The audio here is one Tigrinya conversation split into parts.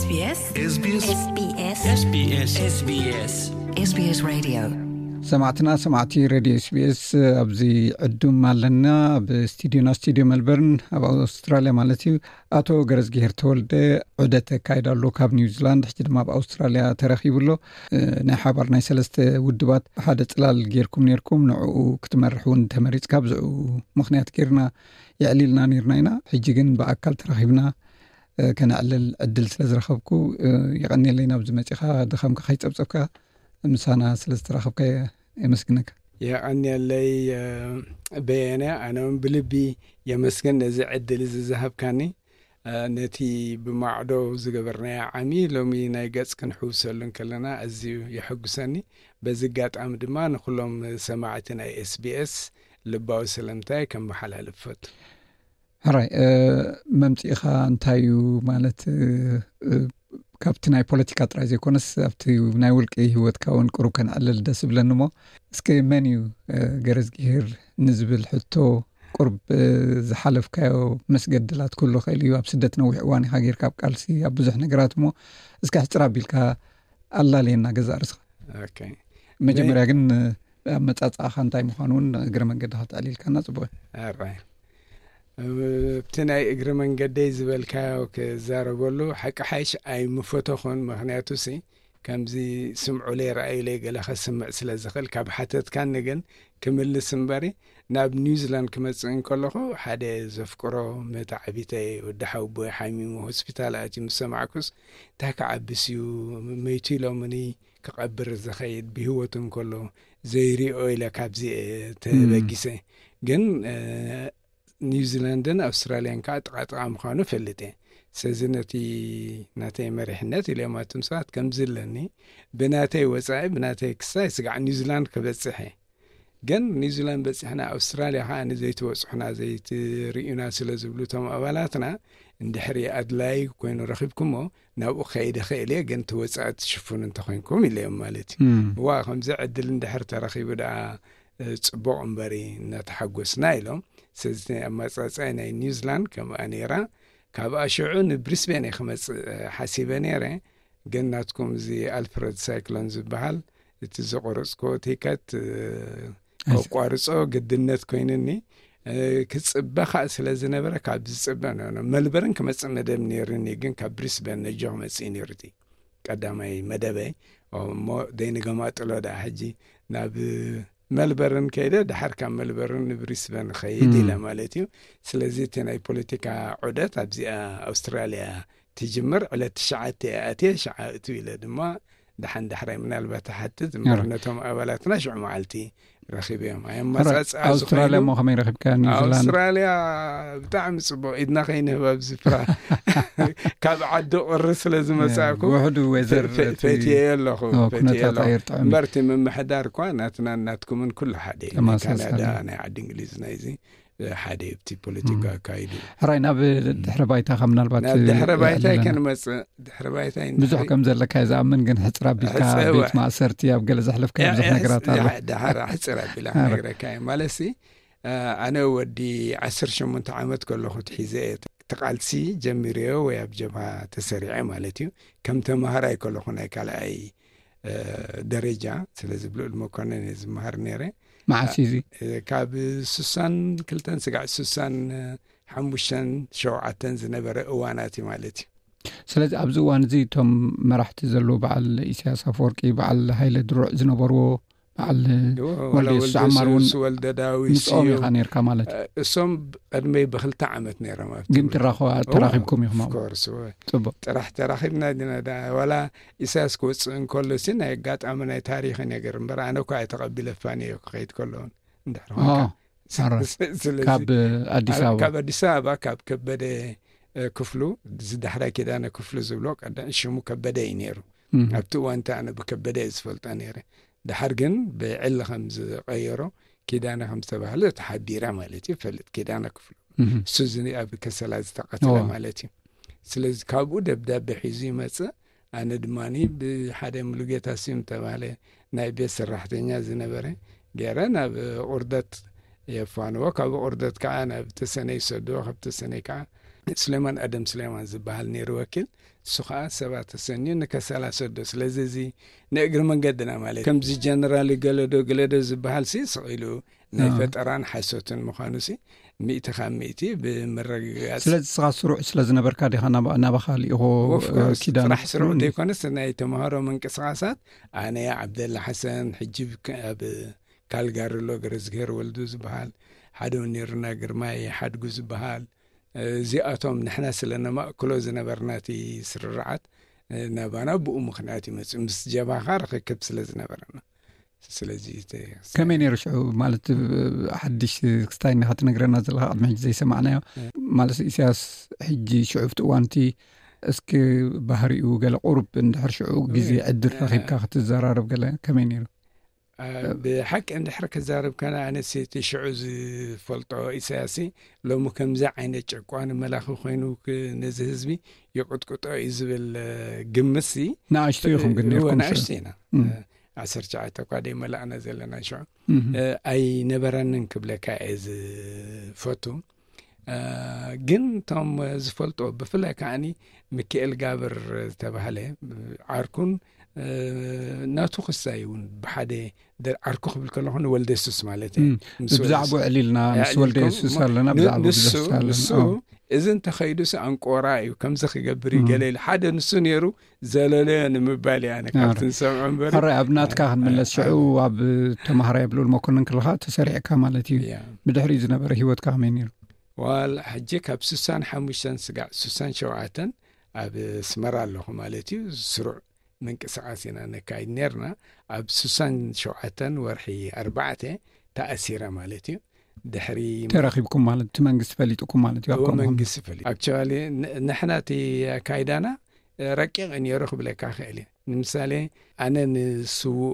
SBS SBS SBS SBS SBS SBS Radio. ሰማዕትና ሰማዕቲ ሬድዮ ኤስቢኤስ፣ ኣብዚ ዕዱም ኣለና። ኣብ ስቱዲዮና፣ ስቱዲዮ መልበርን ኣብ ኣውስትራልያ ማለት እዩ፣ ኣቶ ገረዝግሄር ተወልደ ዑደት ኣካይዳ ኣሎ ካብ ኒውዚላንድ። ሕጂ ድማ ኣብ ኣውስትራልያ ተረኺቡ ኣሎ። ናይ ሓባር ናይ ሰለስተ ውድባት ሓደ ጽላል ጌርኩም ኔርኩም፣ ንዕኡ ክትመርሕ እውን ተመሪጽካ፣ ብዝዑ ምኽንያት ጌርና የዕሊልና ኔርና ኢና። ሕጂ ግን ብኣካል ተራኺብና ከነዕልል ዕድል ስለ ዝረኸብኩ፣ የቐንየለይ፣ ናብዚ መጺኻ ድኻምካ ከይጸብጸብካ ምሳና ስለ ዝተራኸብካ የመስግነካ። የቐንየለይ። በየነ፣ ኣነ እውን ብልቢ የመስግን ነዚ ዕድል እዚ ዝሃብካኒ። ነቲ ብማዕዶ ዝገበርናዮ ዓሚ ሎሚ ናይ ገጽ ክንሕውሰሉ እንከለና ኣዝዩ የሐጉሰኒ። በዚ ኣጋጣሚ ድማ ንኹሎም ሰማዕቲ ናይ ኤስቢኤስ ልባዊ ሰለምታይ ከመሓላልፍ ፈቱ። ሕራይ፣ መምጽኢኻ እንታይ እዩ ማለት፣ ካብቲ ናይ ፖለቲካ ጥራይ ዘይኮነስ ኣብቲ ናይ ውልቂ ህይወትካ እውን ቅሩብ ከነዕልል ደስ ይብለኒ። እሞ እስከ መን እዩ ገረዝግሄር ንዝብል ሕቶ፣ ቁርብ ዝሓለፍካዮ መስገድላት ክህሉ ኽእል እዩ። ኣብ ስደት ነዊሕ እዋን ኢኻ ጌርካ ኣብ ቃልሲ፣ ኣብ ብዙሕ ነገራት። እሞ እስከ ሕጽር ኣቢልካ ኣላልየና ገዛእ ርእስኻ። መጀመርያ ግን ኣመጻጽኣኻ እንታይ ምዃኑ እውን እግረ መንገድኻ ተዕሊልካና ጽቡቕ እዩ። ኣብቲ ናይ እግሪ መንገደይ ዝበልካዮ ክዛረበሉ፣ ሓቂ ሓይሽ ኣይምፈተኹን። ምኽንያቱ ሲ ከምዚ ስምዑለይ ረኣዩለይ ገለ ከስምዕ ስለ ዝኽእል፣ ካብ ሓተትካኒ ግን ክምልስ እምበሪ፣ ናብ ኒውዚላንድ ክመጽእ እንከለኹ ሓደ ዘፍቅሮ መታዕቢተይ ወዲ ሓውቦይ ሓሚሙ ሆስፒታል ኣትዩ ምስ ሰማዕኩስ፣ እንታይ ክዓብስ እዩ፣ መይቱ ኢሎምኒ ክቐብር ዝኸይድ፣ ብህይወቱ እንከሎ ዘይሪኦ ኢለ ካብዚ ተበጊሰ። ግን ኒውዚላንድን ኣውስትራልያን ከዓ ጥቓጥቓ ምዃኑ ፈልጥ እየ። ስለዚ ነቲ ናተይ መሪሕነት ኢለማትም ሰባት ከምዚ ኣለኒ፣ ብናተይ ወፃኢ ብናተይ ክሳይ ስጋዕ ኒውዚላንድ ክበፅሕ እየ። ግን ኒውዚላንድ በፂሕና ኣውስትራልያ ከዓ ንዘይትበፅሑና ዘይትርእዩና ስለ ዝብሉ እቶም ኣባላትና፣ እንድሕሪ ኣድላይ ኮይኑ ረኺብኩሞ ናብኡ ከይደ ኽእል እየ፣ ግን ትወፃእ ትሽፍኑ እንተኮይንኩም ኢለዮም ማለት እዩ። እዋ ከምዚ ዕድል እንድሕር ተረኺቡ ደኣ ጽቡቕ እምበሪ እናተሓጎስና ኢሎም። ስለዚ ኣመጻጽኣይ ናይ ኒውዚላንድ ከምኣ ነይራ። ካብኣ ሽዑ ንብሪስቤን እየ ክመጽእ ሓሲበ ነይረ። ግን ናትኩም እዚ ኣልፍረድ ሳይክሎን ዝበሃል እቲ ዝቆረጽኮ ቲከት ከቋርጾ ግድነት ኮይንኒ። ክጽበ ከዓ ስለ ዝነበረ ካብ ዝጽበ መልበርን ክመጽእ መደብ ነይርኒ። ግን ካብ ብሪስበን ነጆ ክመጽእ ነይሩ እቲ ቀዳማይ መደበይ። እሞ ደይንገማጥሎ ደኣ ሕጂ ናብ መልበርን ከይደ፣ ድሓር ካብ መልበርን ንብሪስበን ኸይድ ኢለ ማለት እዩ። ስለዚ እቲ ናይ ፖለቲካ ዑደት ኣብዚኣ ኣውስትራልያ ትጅምር ዕለት ትሽዓተ እየ ኣትየ፣ ሽዓ እቱ ኢለ ድማ ደሓን ዳሕራይ ምናልባት ትሓትት እምበር ነቶም ኣባላትና ሽዑ መዓልቲ ረኺበዮም። ኣውስትራልያ እሞ ከመይ ረኺብካ? ኒውዚላንድ? ኣውስትራልያ ብጣዕሚ ጽቡቕ፣ ኢድና ከይንህብ ኣብዚ ፍራ ካብ ዓዲ ቁሪ ስለ ዝመጻእኩ ውሕዱ ዌዘር ፈትየ ኣለኹ። ኩነታት ኣየር ጥዑም እምበር እቲ ምምሕዳር እኳ ናትና ናትኩምን ኩሉ ሓደ እዩ። ካናዳ ናይ ዓዲ እንግሊዝ ናይዚ ሓደ እዩ። እቲ ፖለቲካ ኣካይዱ ሕራይ ናብ ድሕረ ባይታኻ ምናልባት ናብ ድሕረ ባይታይ ከንመጽእ። ድሕረ ባይታይ ብዙሕ ከም ዘለካ እየ ዝኣምን፣ ግን ሕጽር ኣቢልካ ቤት ማእሰርቲ ኣብ ገለ ዘሕለፍካ ብዙሕ ነገራት ኣሎ። ድሓር ሕጽር ኣቢላ ክነግረካ እየ ማለት ሲ ኣነ ወዲ ዓሰርተ ሸሞንተ ዓመት ከለኹ ትሒዘ እየ ተቃልሲ ጀሚረዮ ወይ ኣብ ጀብሃ ተሰሪዐ ማለት እዩ። ከም ተማሃራይ ከለኹ ናይ ካልኣይ ደረጃ ስለዚ ብልዑል መኮነን እየ ዝመሃር ነይረ። መዓስ እዩ እዚ? ካብ ስሳን ክልተን ስጋዕ ስሳን ሓሙሽተን ሸውዓተን ዝነበረ እዋናት እዩ ማለት እዩ። ስለዚ ኣብዚ እዋን እዚ እቶም መራሕቲ ዘለዉ በዓል ኢሳያስ ኣፈወርቂ፣ በዓል ሃይለ ድሩዕ ዝነበርዎ በዓል ወልደ የሱስ ዓማር እውን ምስኦም ኢኻ ነርካ ማለት እዩ። እሶም ቀድመይ ብክልተ ዓመት ነይሮም ኣብቲ ግን ትራኸባ ተራኺብኩም ኢኹም ኣብኡ? ጽቡቅ። ጥራሕ ተራኺብና ዲና ዋላ ኢሳያስ ክወፅእ እንከሎ ሲ ናይ ኣጋጣሚ ናይ ታሪክ ነገር እምበር ኣነ እኳ ኣይተቐቢለፋን እየ ክኸይድ ከሎ እውን እንድሕር ኮይንካ። ካብ ኣዲስ ኣበባ ካብ ኣዲስ ኣበባ ካብ ከበደ ክፍሉ ዝዳሕራይ ኪዳነ ክፍሉ ዝብሎ ቀዳም ሽሙ ከበደ እዩ ነይሩ። ኣብቲ እዋን እቲ ኣነ ብከበደ እየ ዝፈልጦ ነይረ። ድሓር ግን ብዕሊ ከም ዝቐየሮ ኪዳነ ከም ዝተባህለ ተሓቢረ ማለት እዩ። ፈልጥ ኪዳነ ክፍሉ እሱ እዚ ኣብ ከሰላ ዝተቐትለ ማለት እዩ። ስለዚ ካብኡ ደብዳቤ ሒዙ ይመጽእ። ኣነ ድማ ብሓደ ሙሉጌታ ስዩም ተባህለ ናይ ቤት ሰራሕተኛ ዝነበረ ገይረ ናብ ቁርደት የፋንዎ። ካብ ቁርደት ከዓ ናብ ተሰነይ ይሰድዎ። ካብ ተሰነይ ከዓ ስሌማን ኣደም ስሌማን ዝበሃል ነይሩ ወኪል። እሱ ከዓ ሰባት ተሰንዩ ንከሰላ ሰዶ። ስለዚ እዚ ንእግሪ መንገድና ማለት ከምዚ ጀነራል ገለዶ ገለዶ ዝበሃል ሲ ስቕ ኢሉ ናይ ኣዎ። ፈጠራን ሓሶትን ምዃኑ ሲ ሚእቲ ካብ ሚእቲ ብምርግጋጽ። ስለዚ ንስኻ ስሩዕ ስለ ዝነበርካ ዲኻ ናባ- ናባኻ ልኢኾ Of course፣ ኪዳን ጥራሕ ስሩዕ ዘይኮነስ ናይ ተምሃሮ ምንቅስቃሳት ኣነ፣ ዓብደላ ሓሰን፣ ሕጂ ብ- ኣብ ካልጋሪ ኣሎ ገረዝግሄር ወልዱ ዝበሃል፣ ሓደ እውን ነይሩና ግርማይ ሓድጉ ዝበሃል፣ እዚኣቶም ንሕና ስለ ነማእክሎ ዝነበርና እቲ ስርርዓት ናባና ብኡ ምኽንያት ይመፅእ ምስ ጀብሃኻ ርክክብ ስለ ዝነበረና። ስለዚ እቲ ከመይ ነይሩ ሽዑ? ማለት ሓድሽ ክስታይ እንዲኻ ትነግረና ዘለኻ ቅድሚ ሕጂ ዘይሰማዕናዮ። ማለት ኢሳያስ ሕጂ ሽዑ ኣብቲ እዋንቲ እስኪ ባህሪኡ ገለ ቁሩብ እንድሕር ሽዑ ግዜ ዕድል ረኺብካ ክትዘራረብ ገለ ከመይ ነይሩ? ብሓቂ እንድሕር ክዛረብ ከነ ኣነስ እቲ ሽዑ ዝፈልጦ ኢሳያስ ሎሚ ከምዚ ዓይነት ጨቋኒ መላኺ ኮይኑ ክ- ነዚ ህዝቢ ይቕጥቅጦ እዩ ዝብል ግምትሲ ንኣሽቱ ኢኹም ግን ነርኩም ንኣሽቱ ኢና። ዓሰርተ ትሽዓተ እኳ ደይ መላእና ዘለና ሽዑ ኣይነበረንን ክብለካ እየ ዝፈቱ። ግን እቶም ዝፈልጦ ብፍላይ ከዓኒ ሚካኤል ጋብር ዝተባህለ ዓርኩን ናቱ ክሳይ እውን ብሓደ ዓርኩ ክብል ከለኹ ንወልደ የሱስ ማለት እዩ። ብዛዕባኡ ዕሊልና ምስ ወልደ የሱስ ኣለና። ብዛዕባኡ ብዙሕ ኣለና። እዚ እንተኸይዱስ ኣንቆራ እዩ፣ ከምዚ ክገብር እዩ ገለ ኢሉ ሓደ ንሱ ነይሩ ዘለለዮ ንምባል እያ ኣነ ካብቲ ንሰምዖ እምበር። ሕራይ ኣብ ናትካ ክንምለስ ሽዑ ኣብ ተማሃራይ ኣብ ልኡል መኮንን ከለኻ ተሰሪዕካ ማለት እዩ። ብድሕሪኡ ዝነበረ ህይወትካ ከመይ ነይሩ? ዋል ሕጂ ካብ ስሳን ሓሙሽተን ስጋዕ ስሳን ሸውዓተን ኣብ ኣስመራ ኣለኹ ማለት እዩ። ስሩዕ ምንቅስቃስ ኢና ነካይድ ነርና። ኣብ ስሳን ሸውዓተን ወርሒ ኣርባዕተ ተኣሲረ ማለት እዩ። ድሕሪ ተረኺብኩም ማለት እቲ መንግስቲ ፈሊጥኩም ማለት እዩ? እዎ መንግስቲ ፈሊጡ። ኣክቸዋሊ ንሕና እቲ ኣካይዳና ረቂቕ ነይሩ ክብለካ ክእል እየ። ንምሳሌ ኣነ ንስዉእ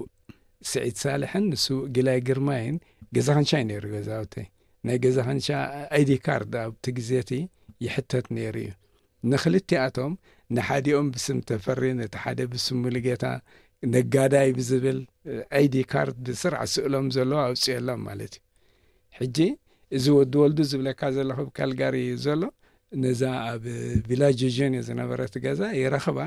ስዒድ ሳልሕን ንስዉእ ግላይ ግርማይን ገዛ ክንሻ እዩ ነይሩ ገዛውተይ። ናይ ገዛ ክንሻ ኣይዲ ካርድ ኣብቲ ግዜ እቲ ይሕተት ነይሩ እዩ። ንክልቲኣቶም ንሓዲኦም ብስም ተፈሪ ነቲ ሓደ ብስም ሙሉጌታ ነጋዳይ ብዝብል ኣይዲ ካርድ ብስርዓት ስእሎም ዘለዎ ኣውፅኦሎም ማለት እዩ። ሕጂ እዚ ወዲ ወልዱ ዝብለካ ዘለኹ ኣብ ካልጋሪ ዘሎ ነዛ ኣብ ቪላጅ ጆን ዝነበረት ገዛ ይረኽባ።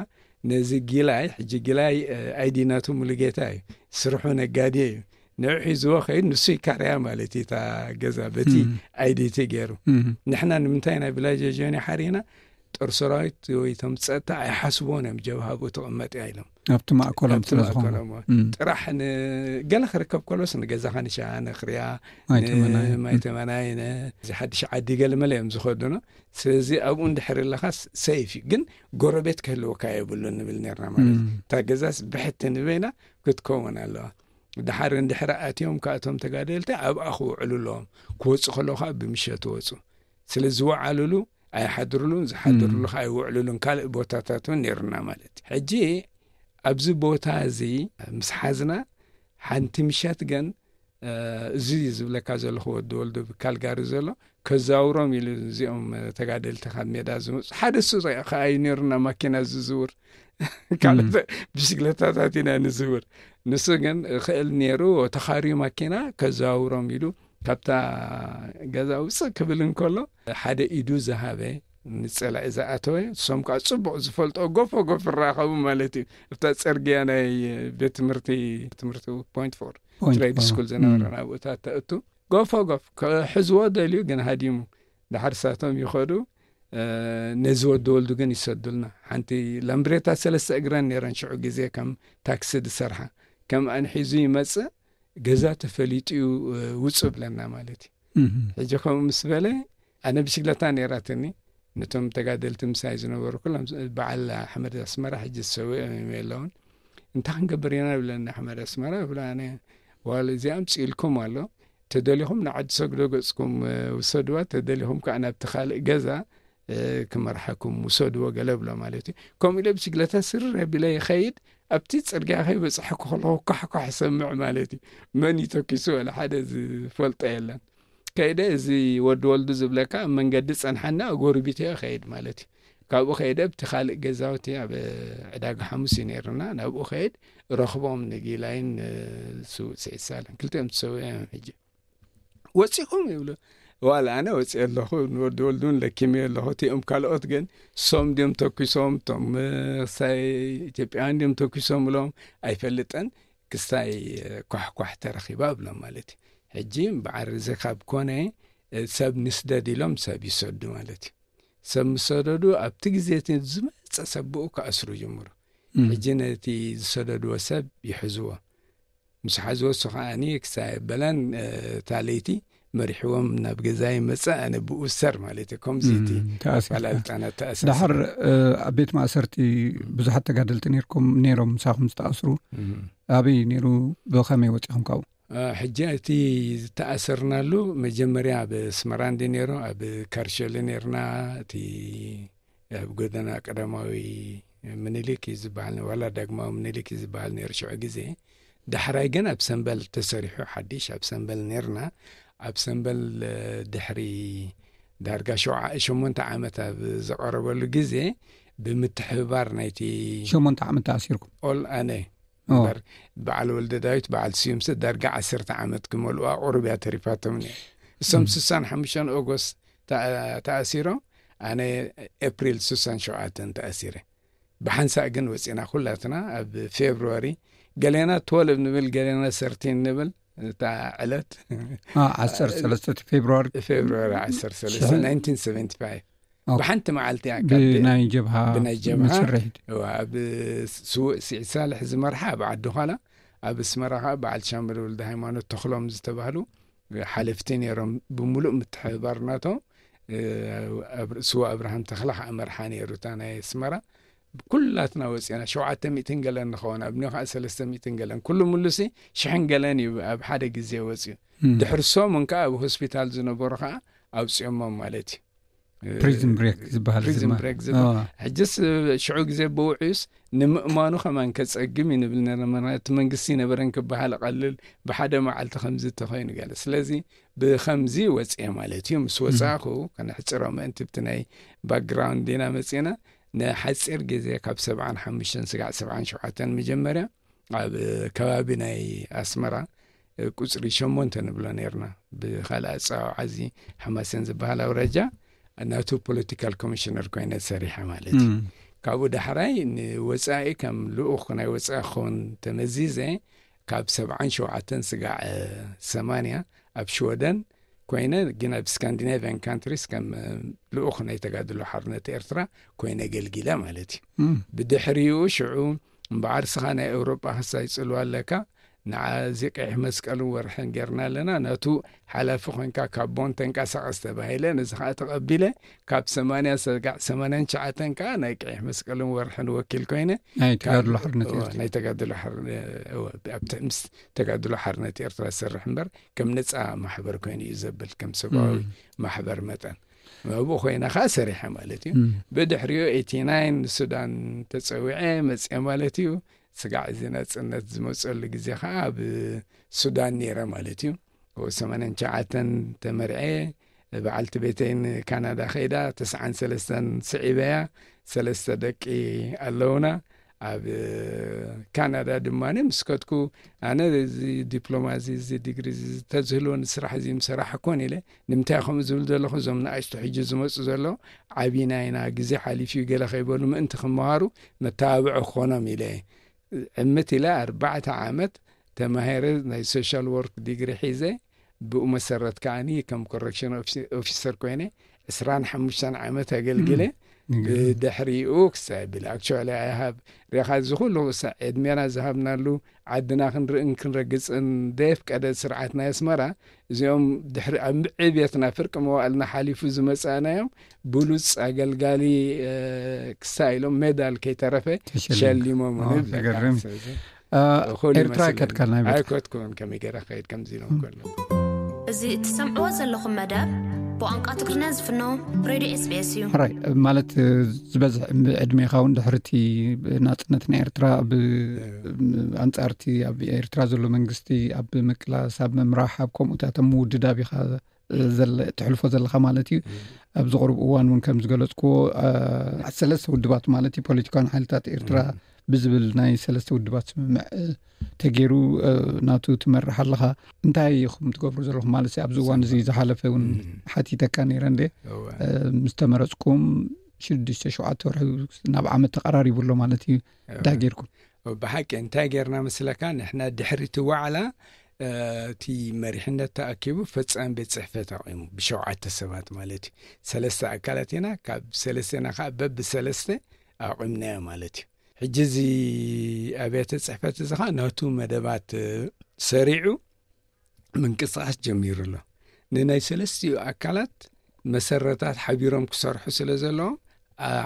ነዚ ጊላይ ሕጂ ጊላይ ኣይዲ ናቱ ሙሉጌታ እዩ፣ ስርሑ ነጋዴ እዩ። ንዑ ሒዝዎ ከይድ ንሱ ይካርያ ማለት እዩ እታ ገዛ በቲ ኣይዲቲ ገይሩ። ንሕና ንምንታይ ናይ ቪላጅ ጆን ሓሪና ጦር ሰራዊት ወይ ቶም ፀጥታ ኣይሓስብዎን እዮም ጀብሃ ብኡ ትቕመጥ እያ ኢሎም። ኣብቲ ማእከሎም ኣብቲ ስለ ዝኾኑ ማእከሎም እዎ። ጥራሕ ንገለ ክርከብ ከሎስ ንገዛ ካንሻ ንክርያ ኣይተመናየ ማይተመናይ እዚ ሓድሽ ዓዲ ገለ መለ እዮም ዝኸዱኖ። ስለዚ ኣብኡ እንድሕር ኣለኻስ ሰይፍ እዩ፣ ግን ጎረቤት ክህልወካ የብሉን ንብል ነርና ማለት እዩ። እታ ገዛስ ብሕቲ ንበይና ክትከውን ኣለዋ። ድሓር እንድሕር ኣትዮም ካእቶም ተጋደልቲ ኣብኣ ክውዕሉ ኣለዎም። ክወፁ ከለዉ ከዓ ብምሸት ወፁ። ስለ ዝወዓሉሉ ኣይሓድሩሉን፣ ዝሓድሩሉ ከዓ ኣይውዕሉሉን። ካልእ ቦታታት እውን ነይሩና ማለት እዩ። ሕጂ ኣብዚ ቦታ እዚ ምስ ሓዝና ሓንቲ ምሸት ግን እዚ ዝብለካ ዘለኹ ወዲ ወልዱ ብካልጋሪ ዘሎ ከዛውሮም ኢሉ እዚኦም ተጋደልቲ ካብ ሜዳ ዝመፁ ሓደ እሱ ከዓ እዩ ነይሩና ማኪና ዝዝውር ካልእ ብሽግለታታት ኢና ንዝውር። ንሱ ግን ክእል ነይሩ ተኻርዩ ማኪና ከዛውሮም ኢሉ ካብታ ገዛ ውፅእ ክብል እንከሎ ሓደ ኢዱ ዝሃበ ንፀላኢ ዝኣተወ እሶም ከዓ ፅቡቅ ዝፈልጦ ጎፎ ጎፍ ይራኸቡ ማለት እዩ። እብታ ፅርግያ ናይ ቤት ትምህርቲ ትምህርቲ ፖይንት ፎር ትሬድ ስኩል ዝነበረ ናብኡታት ተእቱ ጎፎ ጎፍ ክሕዝዎ ደልዩ ግን ሃዲሙ ድሓር ሳቶም ይኸዱ። ነዚ ወዲ ወልዱ ግን ይሰዱልና። ሓንቲ ላምብሬታ ሰለስተ እግረን ነይረን ሽዑ ግዜ ከም ታክሲ ዝሰርሓ ከም ኣንሒዙ ይመፅእ ገዛ ተፈሊጡ እዩ ውፁ ብለና ማለት እዩ። ሕጂ ከምኡ ምስ በለ ኣነ ብሽግለታ ነይራትኒ ነቶም ተጋደልቲ ምሳይ ዝነበሩ ኩሎም በዓል ኣሕመድ ኣስመራ ሕጂ ዝሰውእ እዮም የለውን። እንታይ ክንገብር ኢና ብለኒ ኣሕመድ ኣስመራ ብሎ ኣነ ዋል እዚኣ ኣምፅኢልኩም ኣሎ ተደሊኹም ንዓዲ ሰግዶ ገፅኩም ውሰድዋ ተደሊኹም ከዓ ናብቲ ካልእ ገዛ ክመርሓኩም ውሰድዎ ገለ ብሎ ማለት እዩ። ከምኡ ኢለ ብሽግለታ ስርር ኣቢለ ይኸይድ ኣብቲ ፅርግያ ከይበፅሐኩ ከለኹ ኳሕኳሕ ይሰምዕ ማለት እዩ። መን ይተኪሱ ወላ ሓደ ዝፈልጦ የለን። ከይደ እዚ ወዲ ወልዱ ዝብለካ ኣብ መንገዲ ፀንሓና ኣጎርቢተ ከይድ ማለት እዩ። ካብኡ ከይደ ኣብቲ ካልእ ገዛውቲ ኣብ ዕዳጋ ሓሙስ እዩ ነይርና ናብኡ ከይድ ረኽቦም ንጊላይን ስውእ ስዒሳለን ክልቲኦም ትሰውእ እዮም ሕጂ ወፂኹም ይብሉ። ዋላ ኣነ ወፂኦ ኣለኹ፣ ንወዲ ወልዱን ለኪመዮ ኣለኹ። እቲኦም ካልኦት ግን ሶም ድዮም ተኩሶም፣ እቶም ሳይ ኢትዮጵያውያን ድዮም ተኩሶም ብሎም ኣይፈልጥን። ክስታይ ኳሕኳሕ ተረኺባ ብሎም ማለት እዩ። ሕጂ በዓል ርዚ ካብ ኮነ ሰብ ንስደድ ኢሎም ሰብ ይሰዱ ማለት እዩ። ሰብ ምስ ሰደዱ ኣብቲ ግዜ እቲ ዝመፀ ሰብ ብኡ ክኣስሩ ጀምሩ። ሕጂ ነቲ ዝሰደድዎ ሰብ ይሕዝዎ። ምስ ሓዝዎ እሱ ከዓኒ ክሳይ በለን እታ ለይቲ መሪሕዎም ናብ ገዛ ይመፅእ። ኣነ ብኡ ሰር ማለት እዩ። ከምዚ እቲ ኣፈላልጣና ተኣሳሰረ። ዳሓር ኣብ ቤት ማእሰርቲ ብዙሓት ተጋደልቲ ነርኩም ነይሮም ምሳኹም ዝተኣስሩ? ኣበይ ነይሩ? ብኸመይ ወፂኹም ካብኡ? ሕጂ እቲ ዝተኣሰርናሉ መጀመርያ ኣብ ኣስመራ እንዲ ነይሩ፣ ኣብ ካርሸሊ ነርና። እቲ ኣብ ጎደና ቀዳማዊ ምኒልክ እዩ ዝበሃል፣ ዋላ ዳግማዊ ምኒልክ እዩ ዝበሃል ነይሩ ሽዑ ግዜ። ዳሕራይ ግን ኣብ ሰንበል ተሰሪሑ ሓድሽ ኣብ ሰንበል ነርና። ኣብ ሰንበል ድሕሪ ዳርጋ ሸሞንተ ዓመት ኣብ ዘቐረበሉ ግዜ ብምትሕብባር ናይቲ ሸሞንተ ዓመት ተኣሲርኩም? ኦል ኣነ እምበር በዓል ወልደ ዳዊት በዓል ስዩምሰ ዳርጋ ዓሰርተ ዓመት ክመልኡ ኣቑርብያ ተሪፋቶም ነይሩ። እሶም ስሳን ሓሙሽተን ኦጎስት ተኣሲሮም፣ ኣነ ኤፕሪል ስሳን ሸውዓተን ተኣሲረ። ብሓንሳእ ግን ወፂና ኩላትና ኣብ ፌብርዋሪ፣ ገሌና ትወልብ ንብል፣ ገሌና ሰርቲን ንብል። እታ ዕለት ዓሰርተ ሰለስተ ፌብርዋሪ ፌብርዋሪ ዓሰርተ ሰለስተ ናይንቲን ሰቨንቲ ፋይቭ ብሓንቲ መዓልቲ እያ። ብናይ ጀብሃ ብናይ ጀብሃ ምስርሒት ኣብ ስውእ ስዒድ ሳልሕ ዝመርሓ ኣብ ዓዲ ዃላ፣ ኣብ ኣስመራ ከዓ በዓል ሻምበል ወልደ ሃይማኖት ተኽሎም ዝተባህሉ ሓለፍቲ ነይሮም። ብምሉእ ምትሕብባር ናቶም ስዋ ኣብርሃም ተኽላ ከዓ መርሓ ነይሩ እታ ናይ ኣስመራ። ኩላትና ወፂና ሸውዓተ ሚእትን ገለን ንኸውን፣ ኣብኒ ከዓ ሰለስተ ሚእትን ገለን፣ ኩሉ ሙሉሲ ሽሕን ገለን እዩ ኣብ ሓደ ግዜ ወፅዩ። ድሕሪ ሰሙን ከዓ ኣብ ሆስፒታል ዝነበሩ ከዓ ኣውፅኦሞም ማለት እዩ። ፕሪዝን ብሬክ ዝበሃል ፕሪዝን ብሬክ ዝበሃል። ሕጅስ ሽዑ ግዜ ብውዕዩስ ንምእማኑ ከማን ከፀግም እዩ ንብል ነርና። እቲ መንግስቲ ነበረን ክበሃል ቀልል፣ ብሓደ መዓልቲ ከምዚ ተኮይኑ ገለ። ስለዚ ብከምዚ ወፅየ ማለት እዩ። ምስ ወፃእኹ ከነሕፅሮ ምእንቲ ብቲ ናይ ባክግራውንድ ዲና መፂና፣ ንሓፂር ግዜ ካብ ሰብዓን ሓሙሽተን ስጋዕ ሰብዓን ሸውዓተን መጀመርያ ኣብ ከባቢ ናይ ኣስመራ ቁፅሪ ሸሞንተ ንብሎ ነርና። ብካልእ ኣፀዋውዓ እዚ ሓማሴን ዝበሃል ኣውራጃ ናቱ ፖለቲካል ኮሚሽነር ኮይነ ሰሪሐ ማለት እዩ። ካብኡ ዳሕራይ ንወፃኢ ከም ልኡኽ ናይ ወፃኢ ክኸውን ተመዚዘ ካብ ሰብዓን ሸውዓተን ስጋዕ ሰማንያ ኣብ ሽወደን ኮይነ፣ ግን ኣብ ስካንዲናቪያን ካንትሪስ ከም ልኡኽ ናይ ተጋድሎ ሓርነት ኤርትራ ኮይነ ኣገልጊለ ማለት እዩ። ብድሕሪኡ ሽዑ እምበኣር ስኻ ናይ ኤውሮጳ ክሳይ ጽልዋ ኣለካ፣ ንዓ እዚ ቀይሕ መስቀልን ወርሕን ጌርና ኣለና፣ ናቱ ሓላፊ ኮንካ ካብ ቦን ተንቀሳቐስ ተባሂለ። ነዚ ከዓ ተቐቢለ። ካብ ሰማንያ ሰጋዕ ሰማንያን ትሽዓተን ከዓ ናይ ቀይሕ መስቀልን ወርሕን ወኪል ኮይነ ናይ ተጋድሎ ሓርነት ኤርትራ። ናይ ተጋድሎ ሓርነ-፣ እወ፣ ኣብ ተ-፣ ምስ ተጋድሎ ሓርነት ኤርትራ ዝሰርሕ እምበር ከም ነፃ ማሕበር ኮይኑ እዩ ዘብል፣ ከም ሰብኣዊ ማሕበር መጠን ኣብኡ ኮይና ከዓ ሰሪሐ ማለት እዩ። ብድሕሪኡ ኤቲ ናይን ንሱዳን ተፀዊዐ መፅአ ማለት እዩ። ስጋዕ እዚ ናፅነት ዝመፀሉ ግዜ ከዓ ኣብ ሱዳን ነይረ ማለት እዩ። ሰማንያን ትሽዓተን ተመርዐ፣ በዓልቲ ቤተይ ንካናዳ ከይዳ፣ ተስዓን ሰለስተን ስዒበያ፣ ሰለስተ ደቂ ኣለውና። ኣብ ካናዳ ድማ ምስ ከድኩ፣ ኣነ እዚ ዲፕሎማ እዚ፣ እዚ ዲግሪ እዚ ተዝህልወኒ፣ ስራሕ እዚ ምሰራሕ ኮን ኢለ። ንምንታይ ከምኡ ዝብል ዘለኹ፣ እዞም ንኣሽቱ ሕጂ ዝመፁ ዘለዉ ዓቢና ኢና፣ ግዜ ሓሊፉ እዩ ገለ ከይበሉ ምእንቲ ክመሃሩ መተባብዒ ክኾኖም ኢለ። ዕምት ኢለ ኣርባዕተ ዓመት ተማሂረ፣ ናይ ሶሻል ወርክ ዲግሪ ሒዘ። ብኡ መሰረት ከዓኒ ከም ኮረክሽን ኦፊሰር ኮይነ ዕስራን ሓሙሽተን ዓመት ኣገልግለ። ብድሕሪኡ ክሳይ ብል፣ ኣክቹዋሊ፣ ኣይ ሃብ ሬኻ፣ እዚ ኩሉ ክሳዕ ዕድሜና ዝሃብናሉ፣ ዓድና ክንርእን ክንረግጽን ደየፍቀደ ስርዓት ናይ ኣስመራ፣ እዚኦም ድሕሪ ኣብ ዕብየትና ፍርቂ መዋእልና ሓሊፉ ዝመጻእናዮም ብሉጽ ኣገልጋሊ ክሳይ ኢሎም ሜዳል ከይተረፈ ሸሊሞም። ኤርትራ ይከድካል ናይ ቤት? ኣይከድኩን፣ ከመይ ገይረ ከይድ ከምዚ ኢሎም ከሎ። እዚ እትሰምዕዎ ዘለኹም መደብ ብቋንቋ ትግርኛ ዝፍኖ ሬድዮ ኤስቢኤስ እዩ። ራይ፣ ማለት ዝበዝሕ ዕድሜኻ እውን ድሕርቲ ናጽነት ናይ ኤርትራ፣ ብ-፣ ኣንጻርቲ ኣብ ኤርትራ ዘሎ መንግስቲ ኣብ ምቅላስ፣ ኣብ ምምራሕ፣ ኣብ ከምኡታት ኣብ ምውድዳብ ኢኻ ትሕልፎ ዘለኻ ማለት እዩ። ኣብዚ ቁሩብ እዋን እውን ከም ዝገለጽኩዎ ሰለስተ ውድባት ማለት እዩ፣ ፖለቲካውያን ሓይልታት ኤርትራ ብዝብል ናይ ሰለስተ ውድባት ስምምዕ ተገይሩ ናቱ ትመርሕ ኣለኻ። እንታይ ኢኹም ትገብሩ ዘለኹም ማለት ኣብዚ እዋን እዚ? ዝሓለፈ እውን ሓቲተካ ነይረ እንደ ምስ ተመረጽኩም ሽዱሽተ ሸውዓተ ወርሒ ናብ ዓመት ተቐራሪቡ ኣሎ ማለት እዩ። እንታይ ጌርኩም? ብሓቂ እንታይ ጌርና መስለካ? ንሕና ድሕሪ እቲ ዋዕላ እቲ መሪሕነት ተኣኪቡ ፈጻሚ ቤት ጽሕፈት ኣቑሙ ብሸውዓተ ሰባት ማለት እዩ። ሰለስተ ኣካላት ኢና፣ ካብ ሰለስቴና ከዓ በብሰለስተ ኣቑምናዮ ማለት እዩ። ሕጂ እዚ ኣብያተ ጽሕፈት እዚ ከዓ ናቱ መደባት ሰሪዑ ምንቅስቃስ ጀሚሩ ኣሎ። ንናይ ሰለስቲኡ ኣካላት መሰረታት ሓቢሮም ክሰርሑ ስለ ዘለዎም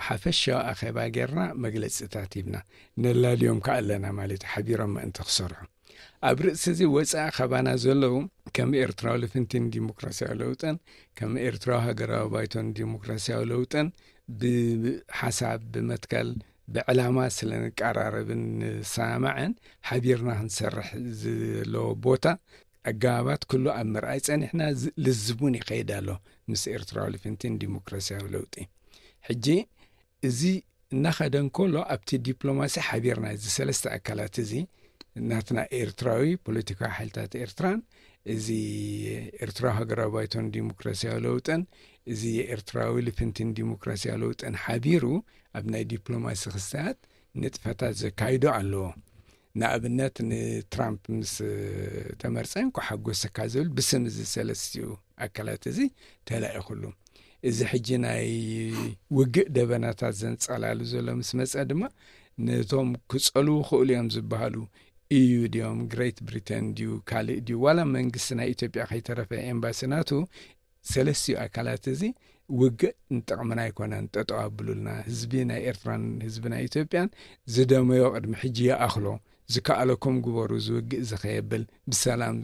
ሓፈሻዊ ኣኼባ ጌርና መግለጽታት ሂብና ነላልዮም ከዓ ኣለና ማለት ሓቢሮም ምእንቲ ክሰርሑ። ኣብ ርእሲ እዚ ወፃኢ ካባና ዘለዉ ከም ኤርትራዊ ልፍንቲን ዲሞክራሲያዊ ለውጥን ከም ኤርትራዊ ሃገራዊ ባይቶን ዲሞክራሲያዊ ለውጥን ብሓሳብ ብመትከል ብዕላማ ስለ ንቀራረብን ንሰማማዕን ሓቢርና ክንሰርሕ ዘለዎ ቦታ ኣገባባት ኩሉ ኣብ ምርኣይ ጸኒሕና። ልዝቡን ይኸይድ ኣሎ ምስ ኤርትራዊ ልፍንቲን ዲሞክራሲያዊ ለውጢ። ሕጂ እዚ እናኸደ እንከሎ ኣብቲ ዲፕሎማሲ ሓቢርና እዚ ሰለስተ ኣካላት እዚ ናትና ኤርትራዊ ፖለቲካዊ ሓይልታት ኤርትራን እዚ ኤርትራዊ ሃገራዊ ባይቶን ዲሞክራሲያዊ ለውጥን እዚ ኤርትራዊ ልፍንቲን ዲሞክራሲያዊ ለውጥን ሓቢሩ ኣብ ናይ ዲፕሎማሲ ክስታት ንጥፈታት ዘካይዶ ኣለዎ። ንኣብነት ንትራምፕ ምስ ተመርጸ እንኳ ሓጎሰካ ዝብል ብስም እዚ ሰለስቲኡ ኣካላት እዚ ተላኢኹሉ። እዚ ሕጂ ናይ ውግእ ደበናታት ዘንጸላሉ ዘሎ ምስ መጸ ድማ ነቶም ክጸልዉ ክእሉ እዮም ዝበሃሉ ኢዩ ድዮም ግሬት ብሪተን ድዩ ካልእ ድዩ ዋላ መንግስቲ ናይ ኢትዮጵያ ከይተረፈ ኤምባሲ ናቱ ሰለስቲኡ ኣካላት እዚ ውግእ ንጥቕምና ኣይኮነን፣ ጠጠው ኣብሉልና፣ ህዝቢ ናይ ኤርትራን ህዝቢ ናይ ኢትዮጵያን ዝደመዮ ቅድሚ ሕጂ ይኣኽሎ፣ ዝከኣለኩም ግበሩ፣ ዝውግእ ዝኸየብል ብሰላም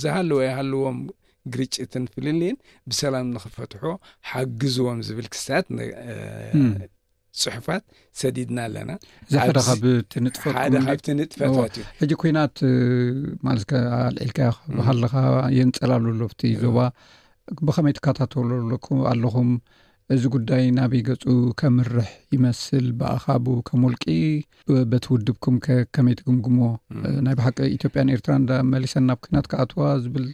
ዝሃለዎ ይሃልዎም ግርጭትን ፍልልይን ብሰላም ንኽፈትሖ ሓግዝዎም ዝብል ክስታት ፅሑፋት ሰዲድና ኣለና። እዚ ሓደ ካብቲ ንጥፈት ሓደ ካብቲ ንጥፈታት እዩ። ሕጂ ኩናት ማለት ኣልዒልካ ኣለኻ የንፀላሉ ኣሎ ኣብቲ ዞባ። ብኸመይ ትከታተሉ ኣለኹም? እዚ ጉዳይ ናበይ ገፁ ከምርሕ ይመስል? ብኣኻቡ ከም ውልቂ በቲ ውድብኩም ከመይ ትግምግሞ? ናይ ብሓቂ ኢትዮጵያን ኤርትራን መሊሰን ናብ ኩናት ክኣትዋ ዝብል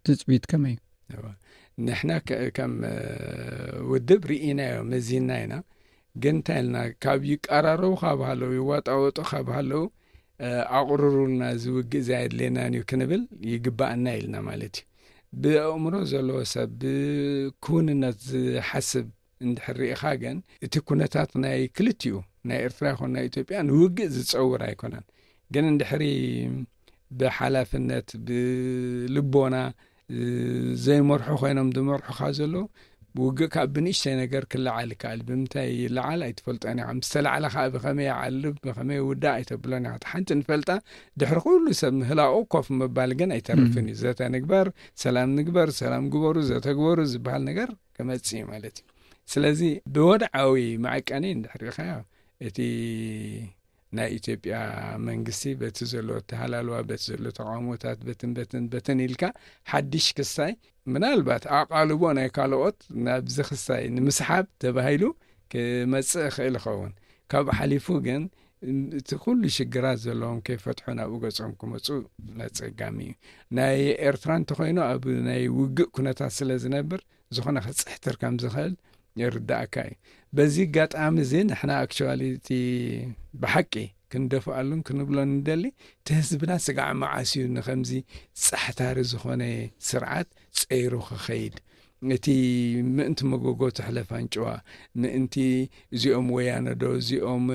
ትፅቢት ከመይ እዩ? ንሕና ከም ውድብ ርኢናዮ መዚና ኢና። ግን እንታይ ኢልና ካብ ይቀራረቡ ካብ ሃለው ይዋጣወጡ ካብ ሃለው ኣቕርሩልና ዝውግእ ዘየድልየናን እዩ ክንብል ይግባኣና ኢልና ማለት እዩ። ብኣእምሮ ዘለዎ ሰብ ብክውንነት ዝሓስብ እንድሕር ርኢኻ ግን እቲ ኩነታት ናይ ክልቲኡ ናይ ኤርትራ ይኹን ናይ ኢትዮጵያ ንውግእ ዝፀውር ኣይኮነን። ግን እንድሕሪ ብሓላፍነት ብልቦና ዘይመርሑ ኮይኖም ዝመርሑኻ ዘለዉ ውግእ ካብ ብንእሽተይ ነገር ክለዓል ይከኣል። ብምንታይ ይለዓል ኣይትፈልጦን ኢኻ። ምስ ተላዕለ ከዓ ብኸመይ ይዓልብ ብኸመይ ውዳእ ኣይተብሎን ኢኻ። ሓንቲ ንፈልጣ ድሕሪ ኩሉ ሰብ ምህላቑ ኮፍ ምባል ግን ኣይተርፍን እዩ። ዘተ ንግበር፣ ሰላም ንግበር፣ ሰላም ግበሩ፣ ዘተ ግበሩ ዝበሃል ነገር ክመጽእ እዩ ማለት እዩ። ስለዚ ብወድዓዊ መዐቀኒ እንድሕር ኢኻዮ እቲ ናይ ኢትዮጵያ መንግስቲ በቲ ዘሎ ተሃላልዋ በቲ ዘሎ ተቃውሞታት በትን በትን በትን ኢልካ ሓድሽ ክስታይ ምናልባት ኣቓልቦ ናይ ካልኦት ናብዚ ክስታይ ንምስሓብ ተባሂሉ ክመጽእ ይኽእል ይኸውን። ካብኡ ሓሊፉ ግን እቲ ኩሉ ሽግራት ዘለዎም ከይፈትሑ ናብኡ ገጾም ክመፁ ኣፀጋሚ እዩ። ናይ ኤርትራ እንተኮይኑ ኣብ ናይ ውግእ ኩነታት ስለ ዝነብር ዝኾነ ክፅሕትር ከም ዝኽእል ይርዳእካ እዩ። በዚ ኣጋጣሚ እዚ ንሕና ኣክቹዋሊ እቲ ብሓቂ ክንደፍኣሉን ክንብሎን ንደሊ እቲ ህዝብና ስጋዕ መዓስ እዩ ንከምዚ ፃሕታሪ ዝኾነ ስርዓት ፀይሩ ክኸይድ? እቲ ምእንቲ መጎጎ ትሕለፍ ኣንጭዋ ምእንቲ እዚኦም ወያነ ዶ እዚኦም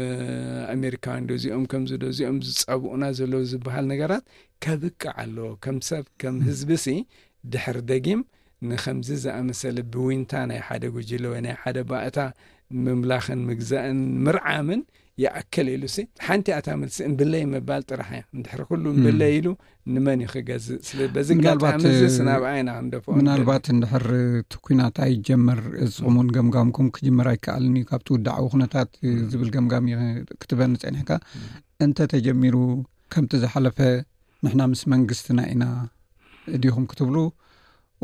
ኣሜሪካውያን ዶ እዚኦም ከምዚ ዶ እዚኦም ዝፀብኡና ዘለዉ ዝበሃል ነገራት ከብቅዕ ኣለዎ። ከም ሰብ ከም ህዝቢ ሲ ድሕር ደጊም ንኸምዚ ዝኣመሰለ ብዊንታ ናይ ሓደ ጉጅለ ወይ ናይ ሓደ ባእታ ምምላኽን ምግዛእን ምርዓምን ይኣክል ኢሉ ሲ ሓንቲ ኣታ መልሲ እምብለይ ምባል ጥራሕ እያ። እንድሕር ኩሉ እምብለይ ኢሉ ንመን እዩ ክገዝእ? ስለ በዚ ምናልባት፣ ኣጋጣሚ እዚ እ፣ ስናብኣ ኢና ክንደፍኦ ምናልባት ንደሊ። እንድሕር እቲ ኩናት ኣይጀመር እስኹም እውን ገምጋምኩም ክጅመር ኣይከኣልን እዩ። ካብቲ ውዳዓዊ ኩነታት እ፣ ዝብል ገምጋም እዩ ክትበኒ ጸኒሕካ። እንተ ተጀሚሩ ከምቲ ዝሓለፈ ንሕና ምስ መንግስትና ኢና ዲኹም ክትብሉ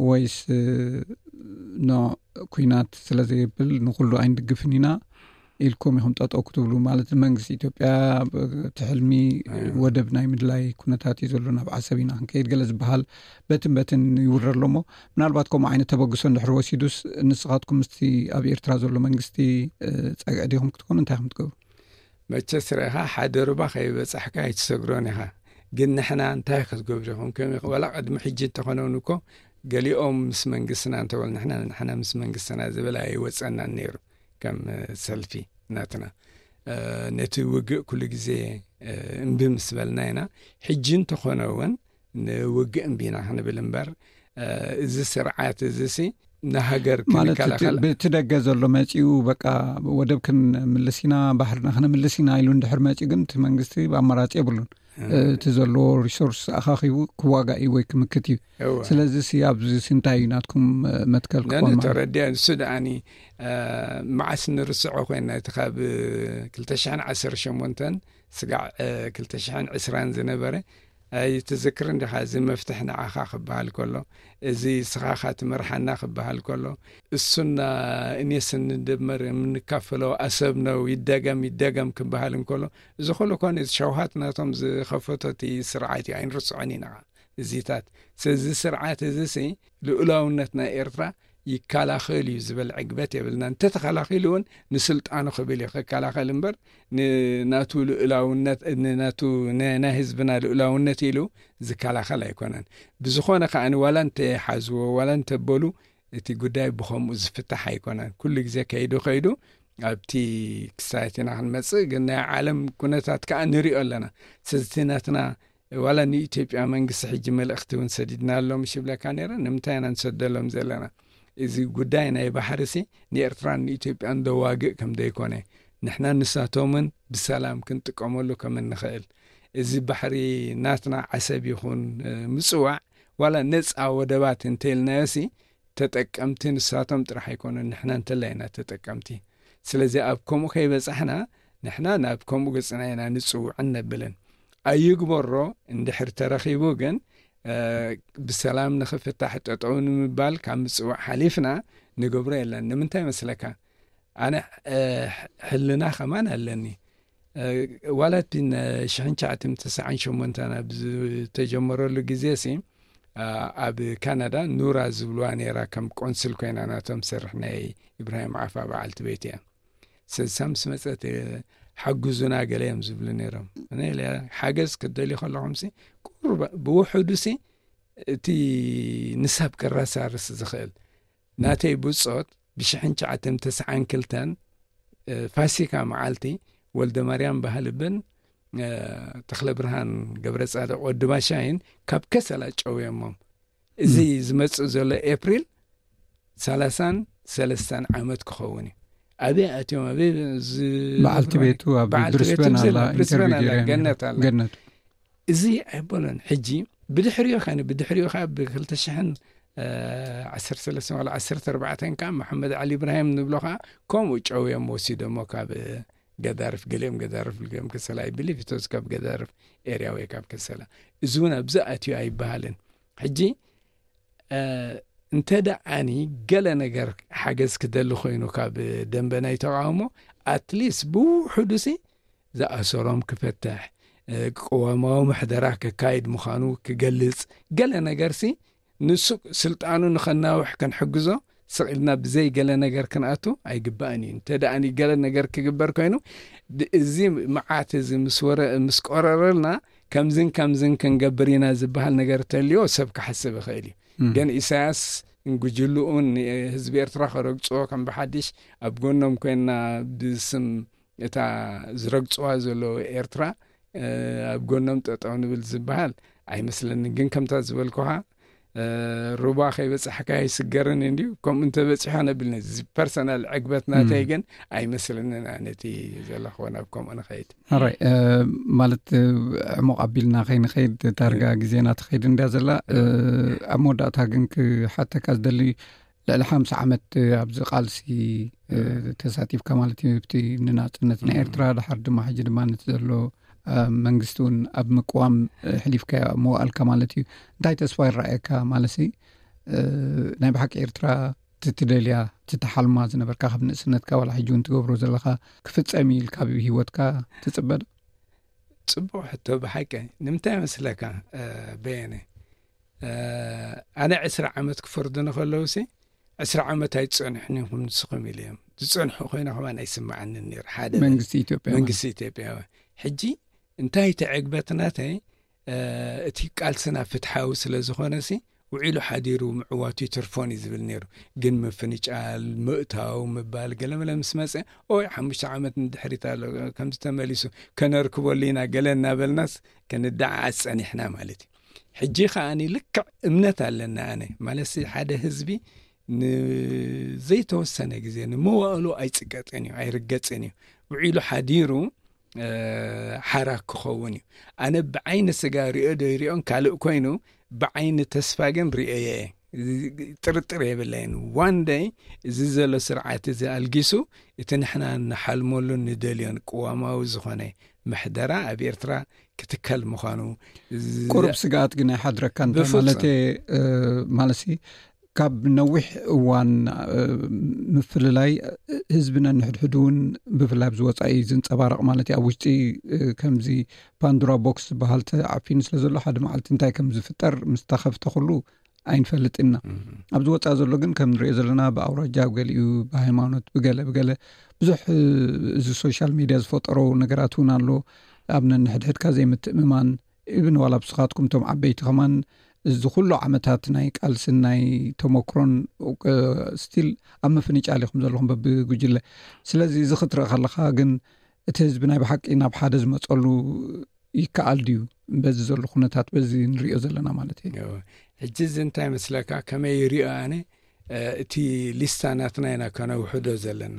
ወይስ ኖ፣ ኩናት ስለ ዘይብል ንኩሉ ኣይንድግፍን ኢና ኢልኩም ኢኹም ጠጠው ክትብሉ? ማለት መንግስቲ ኢትዮጵያ እቲ ሕልሚ ወደብ ናይ ምድላይ ኩነታት እዩ ዘሎ፣ ናብ ዓሰብ ኢና ክንከይድ ገለ ዝበሃል በትን በትን ይውረር ኣሎ። እሞ ምናልባት ከምኡ ዓይነት ተበግሶ እንድሕር ወሲዱስ ንስኻትኩም ምስቲ ኣብ ኤርትራ ዘሎ መንግስቲ ጸግዒ ዲኹም ክትኮኑ? እንታይ ኢኹም ትገብሩ? መቸስ ርኢኻ፣ ሓደ ሩባ ከይበጻሕካ ኣይትሰግሮን ኢኻ። ግን ንሕና እንታይ ክትገብሩ ኢኹም? ከመይ ኢኹም? ዋላ ቅድሚ ሕጂ እንተኾነውን እኮ ገሊኦም ምስ መንግስትና እንተበሉ፣ ንሕና ንሕና ምስ መንግስትና ዝብል ኣይወጸናን ነይሩ። ከም ሰልፊ ናትና ነቲ ውግእ ኩሉ ግዜ እምቢ ምስ በልና ኢና። ሕጂ እንተኾነ እውን ንውግእ እምቢ ኢና ክንብል እምበር፣ እዚ ስርዓት እዚ ሲ ንሃገር ማለት ክንከላኸል ብቲ ደገ ዘሎ መፂኡ በቃ ወደብ ክንምልስ ኢና፣ ባሕርና ክንምልስ ኢና ኢሉ እንድሕር መፂኡ ግን እቲ መንግስቲ ኣማራፂ የብሉን። እቲ ዘለዎ ሪሶርስ ኣኻኺቡ ክዋጋእ እዩ ወይ ክምክት እዩ። ስለዚ ሲ ኣብዚ ሲ እንታይ እዩ ናትኩም መትከል ክኾን ማለት? ተረዲያ። ንሱ ደኣኒ መዓስ ንርስዖ ኮይና፣ እቲ ካብ ክልተ ሽሕን ዓሰርተ ሸሞንተን ስጋዕ ክልተ ሽሕን ዕስራን ዝነበረ ኣይትዝክርን ዲኻ? እዚ መፍትሕ ንዓኻ ክበሃል ከሎ፣ እዚ ስኻኻ ትመርሓና ክበሃል ከሎ፣ እሱና እኔስ እንደመር የምንካፈለው አሰብ ነው፣ ይደገም ይደገም ክበሃል እንከሎ፣ እዚ ኩሉ ኮነ ሸውሃት ናቶም ዝኸፈቶ እቲ ስርዓት እዩ፣ ኣይንርስዖን ኢና እዚታት። ስለዚ ስርዓት እዚ ሲ ልኡላውነት ናይ ኤርትራ ይከላኸል እዩ ዝበል ዕግበት የብልና። እንተተኸላኺሉ እውን ንስልጣኑ ክብል እዩ ክከላኸል እምበር፣ ንናቱ ልኡላውነት፣ ንናቱ ነ- ናይ ህዝብና ልኡላውነት ኢሉ ዝከላኸል ኣይኮነን። ብዝኾነ ከኣ ዋላ እንተሓዝዎ ዋላ እንተበሉ፣ እቲ ጉዳይ ብኸምኡ ዝፍታሕ ኣይኮነን። ኩሉ ግዜ ከይዱ ከይዱ ኣብቲ ክሳየት ኢና ክንመጽእ። ግን ናይ ዓለም ኩነታት ከኣ ንሪኦ ኣለና። ስለዚ ናትና ዋላ ንኢትዮጵያ መንግስቲ ሕጂ መልእኽቲ እውን ሰዲድና ኣሎ ምሽ ይብለካ ነይረ። ንምንታይ ኢና ንሰደሎም ዘለና? እዚ ጉዳይ ናይ ባሕሪ ሲ ንኤርትራን ንኢትዮጵያን ዘዋግእ ከም ዘይኮነ፣ ንሕና ንሳቶምን ብሰላም ክንጥቀመሉ ከም እንኽእል፣ እዚ ባሕሪ ናትና ዓሰብ ይኹን ምጽዋዕ ዋላ ነጻ ወደባት እንተኢልናዮ ሲ ተጠቀምቲ ንሳቶም ጥራሕ ኣይኮኑን፣ ንሕና እንተላ ኢና ተጠቀምቲ። ስለዚ ኣብ ከምኡ ከይበጻሕና ንሕና ናብ ከምኡ ገጽና ኢና ንጽውዕን ነብልን። ኣይግበሮ እንድሕር ተረኺቡ ግን ብሰላም ንኽፍታሕ ጠጠው ንምባል ካብ ምጽዋዕ ሓሊፍና ንገብሮ የለን። ንምንታይ መስለካ? ኣነ ሕልና ከማን ኣለኒ። ዋላ እቲ ሽሕን ትሽዓትን ተስዓን ሸሞንተን ኣብ ዝተጀመረሉ ግዜ ሲ ኣብ ካናዳ ኑራ ዝብልዋ ነይራ፣ ከም ቆንስል ኮይና ናቶም ትሰርሕ ናይ ኢብራሂም ዓፋ በዓልቲ ቤት እያ። ሰሳ ምስ መፀት ሓግዙና ገለ እዮም ዝብሉ ነይሮም። ሓገዝ ክትደልዩ ከለኹም ሲ ቁሩብ ብውሕዱ ሲ እቲ ንሳብ ከራሳርስ ዝኽእል ናተይ ብጾት ብሽሕን ትሽዓን ተስዓን ክልተን ፋሲካ መዓልቲ ወልደ ማርያም ባህልብን ተኽለ ብርሃን ገብረ ጻድቕ ወዲ ባሻይን ካብ ከሰላ ጨውዮሞም። እዚ ዝመጽእ ዘሎ ኤፕሪል ሰላሳን ሰለስተን ዓመት ክኸውን እዩ። ኣበይ ኣትዮም ኣበይ ዝ- በዓልቲ ቤቱ ኣብ በዓልቲ ቤቱ ብሪስበን ብስለ- ኣላ፣ ብሪስበን ኢንተርቪው ኣላ፣ ገይረ ገነት ኣላ። ገነት። እዚ ኣይበሎን። ሕጂ ብድሕሪኡ ኸነ ብድሕሪኡ ኸ ብ ክልተ ሽሕን ዓሰርተ ሰለስተ ዋላ ዓሰርተ ኣርባዕተን ከ መሓመድ ዓሊ ኢብራሂም ንብሎ ኸ ከምኡ ጨውዮም ወሲዶሞ ካብ ገዳርፍ፣ ገሊኦም ገዳርፍ፣ ገሊኦም ከሰላ፣ I believe it was ካብ ገዳርፍ ኤርያ ወይ ካብ ከሰላ። እዚ እውን ኣብዚ ኣትዩ ኣይበሃልን። ሕጂ እንተ ደኣኒ ገለ ነገር ሓገዝ ክደሊ ኮይኑ ካብ ደንበ ናይ ተቃውሞ፣ ኣትሊስት ብውሕዱ ሲ ዝኣሰሮም ክፈትሕ፣ ቅዋማዊ ምሕደራ ከካይድ ምዃኑ ክገልጽ፣ ገለ ነገር ሲ ንሱ ስልጣኑ ንኸናውሕ ክንሕግዞ ስቕ ኢልና ብዘይ ገለ ነገር ክንኣቱ ኣይግባእን እዩ። እንተ ደኣ ገለ ነገር ክግበር ኮይኑ፣ እዚ መዓት እዚ ምስ ወረ- ምስ ቆረረልና ከምዝን ከምዝን ክንገብር ኢና ዝበሃል ነገር ተልዮ ሰብ ክሓስብ ይኽእል እዩ። ግን ኢሳያስ ጉጅልኡን ህዝቢ ኤርትራ ከረግፅዎ ከም ብሓድሽ ኣብ ጎኖም ኮይና ብስም እታ ዝረግፅዋ ዘለዉ ኤርትራ ኣብ ጎኖም ጠጠው ንብል ዝበሃል ኣይመስለንን። ግን ከምታ ዝበልኩኻ ሩባ ከይበፃሕካ ኣይስገርን እንድዩ። ከምኡ እንተበፂሖ ነብልኒ፣ እዚ ፐርሰናል ዕግበት ናተይ ግን ኣይመስለንን። ኣነቲ ዘለኽዎ ናብ ከምኡ ንኸይድ። ራይ ማለት ዕሙቕ ኣቢልና ከይንኸይድ፣ ዳርጋ ግዜና ትኸይድ እንድያ ዘላ። ኣብ መወዳእታ ግን ክሓተካ ዝደሊ፣ ልዕሊ ሓምሳ ዓመት ኣብዚ ቃልሲ ተሳቲፍካ ማለት እዩ፣ ኣብቲ ንናጽነት ናይ ኤርትራ፣ ድሓር ድማ ሕጂ ድማ ነቲ ዘሎ መንግስቲ እውን ኣብ ምቅዋም ሕሊፍካ መዋእልካ ማለት እዩ። እንታይ ተስፋ ይረኣየካ? ማለት እ፣ ናይ ብሓቂ ኤርትራ ትትደልያ ትትሓልማ ዝነበርካ ካብ ንእስነትካ ዋላ ሕጂ እውን ትገብሮ ዘለኻ ክፍጸም እዩ ኢልካ ኣብ ህይወትካ ትጽበ ዶ? ጽቡቕ ሕቶ ብሓቂ። ንምንታይ መስለካ? እ፣ በየነ፣ እ፣ ኣነ ዕስራ ዓመት ክፈርዱኒ ከለውሲ ዕስራ ዓመት ኣይትጸንሑን ኢኹም ንስኹም ኢሉ እዮም። ዝጸንሑ ኮይነ ከማን ኣይስምዓንን ነይሩ። ሓደ መንግስቲ ኢትዮጵያ መንግስቲ ኢትዮጵያ ሕጂ እንታይ ተዕግበት ናተይ፣ እ፣ እቲ ቃልስና ፍትሓዊ ስለ ዝኾነሲ ውዒሉ ሓዲሩ ምዕዋቱ ይትርፎን እዩ ዝብል ነይሩ። ግን ምፍንጫል፣ ምእታው፣ ምባል ገለመለ ምስ መጸ፣ ኦይ ሓሙሽተ ዓመት ንድሕሪት ኣሎ፣ ከምዚ ተመሊሱ ከነርክበሉ ኢና ገለ እናበልናስ ክንደዓዓስ ጸኒሕና ማለት እዩ። ሕጂ ከኣ ልክዕ እምነት ኣለና። ኣነ ማለት ሓደ ህዝቢ ንዘይተወሰነ ግዜ ንመዋእሉ ኣይጽቀጥን እዩ፣ ኣይርገጽን እዩ። ውዒሉ ሓዲሩ፣ እ፣ ሓራ ክኸውን እዩ። ኣነ ብዓይኒ ስጋ ሪኦ ዶ ይሪኦን ካልእ ኮይኑ፣ ብዓይኒ ተስፋ ግን ሪኦየ እየ። ጥርጥር የብለይን። ዋን ደይ እዚ ዘሎ ስርዓት እዚ ኣልጊሱ፣ እቲ ንሕና ንሓልመሉን ንደልዮን ቅዋማዊ ዝኾነ ምሕደራ ኣብ ኤርትራ ክትከል ምዃኑ ዝ- ቁሩብ ስግኣት ግን ኣይሓድረካ። እንታይ ብፍጹም። ማለት፣ እ፣ ማለትሲ ካብ ነዊሕ እዋን፣ እ፣ ምፍልላይ፣ እ፣ ህዝቢ ነንሕድሕዱ እውን ብፍላይ ኣብዚ ወጻኢ ዝንጸባረቕ ማለት እዩ። ኣብ ውሽጢ፣ እ፣ ከምዚ ፓንዱራ ቦክስ ዝበሃል ተዓፊኑ ስለ ዘሎ ሓደ መዓልቲ እንታይ ከም ዝፍጠር ምስ ተኸፍተ ኩሉ ኣይንፈልጥን ኢና። እም። ኣብዚ ወጻኢ ዘሎ ግን ከም ንሪኦ ዘለና ብኣውራጃ፣ ኣብ ገሊኡ ብሃይማኖት፣ ብገለ ብገለ ብዙሕ፣ እ፣ እዚ ሶሻል ሚድያ ዝፈጠሮ ነገራት እውን ኣሎ። ኣብ ነንሕድሕድካ ዘይምትእምማን፣ ኢብን ዋላ ብስኻትኩም እቶም ዓበይቲ ከማን እዚ ኩሉ ዓመታት ናይ ቃልስን ናይ ተመክሮን፣ እ፣ ስቲል ኣብ ምፍንጫል ኢኹም ዘለኹም በብጉጅለ። ስለዚ እዚ ክትርኢ ከለኻ ግን እቲ ህዝቢ ናይ ብሓቂ ናብ ሓደ ዝመጸሉ ይከኣል ድዩ? በዚ ዘሎ ኩነታት በዚ ንሪኦ ዘለና ማለት እዩ። እዎ። ሕጂ እዚ እንታይ መስለካ? ከመይ ይሪኦ ኣነ፣ እ፣ እቲ ሊስታ ናትና ኢና ከነውሕዶ ዘለና።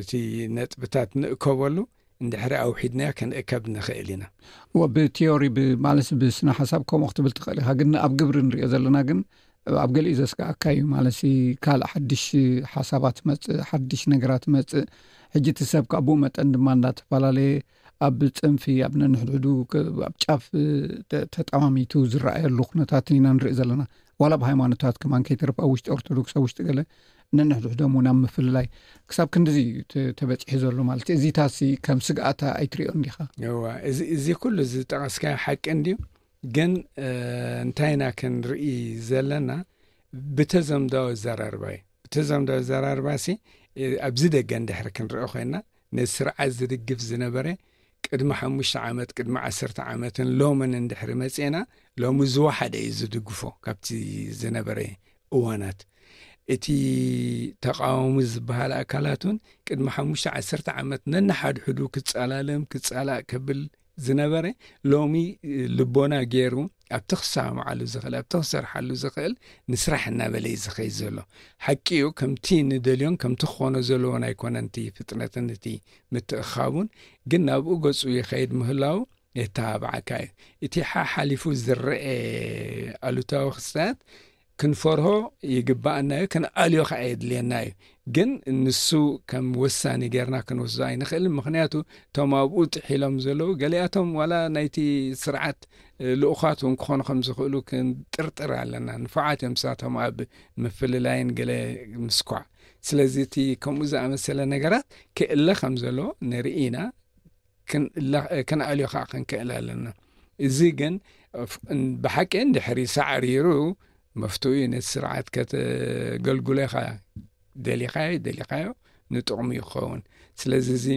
እቲ ነጥብታት ንእከበሉ፣ እንድሕሪ ኣውሒድናዮ ክንእከብ ንኽእል ኢና። እዎ፣ ብቲዮሪ ብ-፣ ማለትሲ ብስነ ሓሳብ ከምኡ ክትብል ትኽእል ኢኻ፣ ግን ኣብ ግብሪ ንሪኦ ዘለና ግን ኣብ ገሊኡ ዘስግኣካ እዩ። ማለትሲ ካልእ ሓድሽ ሓሳባት መጽእ፣ ሓድሽ ነገራት መጽእ። ሕጂ እቲ ሰብ ካብ ብኡ መጠን ድማ እንዳተፈላለየ ኣብ ጽንፊ፣ ኣብ ነንሕድሕዱ ክ-፣ ኣብ ጫፍ ተ-፣ ተጠማሚቱ ዝረኣየሉ ኩነታትን ኢና ንርኢ ዘለና። ዋላ ኣብ ሃይማኖታት ከማን ከይተርፍ ኣብ ውሽጢ ኦርቶዶክስ፣ ኣብ ውሽጢ ገለ ነንሕድሕዶም እውን ኣብ ምፍልላይ ክሳብ ክንድዚ እዩ ተ-፣ ተበጺሑ ዘሎ ማለት እዩ። እዚታሲ ከም ስግኣት ኣይትሪኦን ዲኻ? እዋ፣ እዚ፣ እዚ ኩሉ ዝጠቐስካዮ ሓቂ እንድዩ። ግን፣ እ፣ እንታይ ኢና ክንርኢ ዘለና? ብተዘምዳዊ ኣዘራርባ እዩ። ብተዘምዳዊ ኣዘራርባሲ፣ እ፣ ኣብዚ ደገ እንድሕሪ ክንርኢ ኮይና፣ ነዚ ስርዓት ዝድግፍ ዝነበረ ቅድሚ ሓሙሽተ ዓመት፣ ቅድሚ ዓሰርተ ዓመትን ሎምን እንድሕሪ መጺእና፣ ሎሚ ዝወሓደ እዩ ዝድግፎ ካብቲ ዝነበረ እዋናት። እቲ ተቃዋሚ ዝበሃል ኣካላት እውን ቅድሚ ሓሙሽተ ዓሰርተ ዓመት ነንሓድሕዱ ክጸላለም፣ ክጸላእ ከብል ዝነበረ፣ ሎሚ ልቦና ገይሩ ኣብቲ ክሰማማዓሉ ዝኽእል፣ ኣብቲ ክሰርሓሉ ዝኽእል ንስራሕ እናበለ እዩ ዝኸይድ ዘሎ። ሓቂ እዩ፣ ከምቲ ንደልዮን ከምቲ ክኾኖ ዘለዎን ኣይኮነን እቲ ፍጥነትን እቲ ምትእኻቡን፣ ግን ናብኡ ገጹ ይኸይድ ምህላው የተባብዓካ እዩ። እቲ ሓሓሊፉ ዝረአ ኣሉታዊ ክስተት ክንፈርሆ ይግባኣና እዩ፣ ክንኣልዮ ከዓ የድልየና እዩ። ግን ንሱ ከም ወሳኒ ጌርና ክንወስዶ ኣይንኽእልን። ምኽንያቱ እቶም ኣብኡ ጥሒሎም ዘለዉ ገሊኣቶም ዋላ ናይቲ ስርዓት፣ እ፣ ልኡኻት እውን ክኾኑ ከም ዝኽእሉ ክንጥርጥር ኣለና። ንፉዓት እዮም ንሳቶም ኣብ ምፍልላይን ገለ ምስኳዕ። ስለዚ እቲ ከምኡ ዝኣመሰለ ነገራት ክእለ ከም ዘሎ ንርኢ ኢና። ክን-፣ ላ-፣ ክንኣልዮ ከዓ ክንክእል ኣለና። እዚ ግን ፍ-፣ ብሓቂ እንድሕሪ ሳዕሪሩ መፍትኡ እዩ። ነቲ ስርዓት ከተገልግሎ ኢኻ፣ ደሊኻዮ ደሊኻዮ ንጥቕሙ ይኸውን። ስለዚ እዚ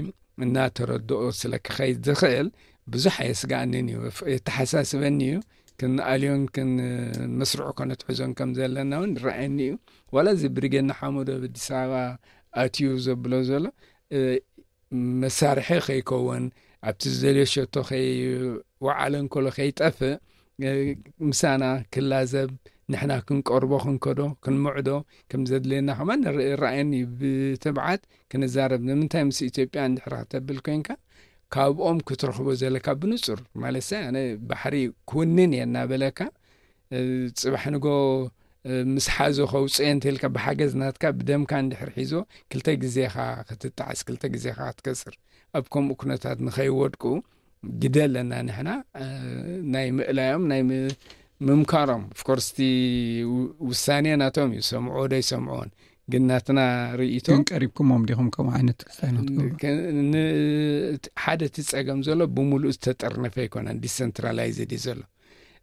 እናተረድኦ ስለ ክኸይድ ዝኽእል ብዙሕ ኣየስግኣንን እዩ፣ ፍ-፣ የተሓሳስበኒ እዩ። ክንኣልዮን ክን-፣ መስርዑ ከነትሕዞን ከም ዘለና እውን ይረኣየኒ እዩ። ዋላ እዚ ብሪጌድ ንሓመዱ ኣብ ኣዲስ ኣበባ ኣትዩ ዘብሎ ዘሎ፣ እ፣ መሳርሒ ከይከውን፣ ኣብቲ ዝደልዮ ሸቶ ከይወዓለ እንከሎ ከይጠፍእ፣ እ፣ ምሳና ክላዘብ፣ ንሕና ክንቀርቦ፣ ክንከዶ፣ ክንምዕዶ ከም ዘድልየና ከማን ንር-፣ ይረኣየኒ እዩ። ብትብዓት ክንዛረብ፣ ንምንታይ ምስ ኢትዮጵያ እንድሕር ከተብል ኮንካ፣ ካብኦም ክትረኽቦ ዘለካ ብንጹር፣ ማለትሲ ኣነ ባሕሪ ክውንን እየ እናበለካ፣ እ፣ ጽባሕ ንጎ፣ እ፣ ምስ ሓዞ ከውጽኦ እንተልካ ብሓገዝ ናትካ ብደምካ እንድሕር ሒዞ ክልተ ግዜ ኢኻ ክትጣዕስ፣ ክልተ ግዜ ኢኻ ክትከስር። ኣብ ከምኡ ኩነታት ንኸይወድቁ ግደ ኣለና ንሕና፣ እ፣ ናይ ምእላዮም፣ ናይ ም-፣ ምምካሮም፣ ኦፍኮርስ እቲ ውሳኔ ናቶም እዩ፣ ሰምዖ ዶ ይሰምዖን። ግን ናትና ርእይቶ፣ ግን ቀሪብኩሞም ዲኹም ከምኡ ዓይነት ክስታይ ናትኩም? ሓደ እቲ ጸገም ዘሎ ብምሉእ ዝተጠርነፈ ኣይኮነን፣ ዲሰንትራላይዝድ እዩ ዘሎ።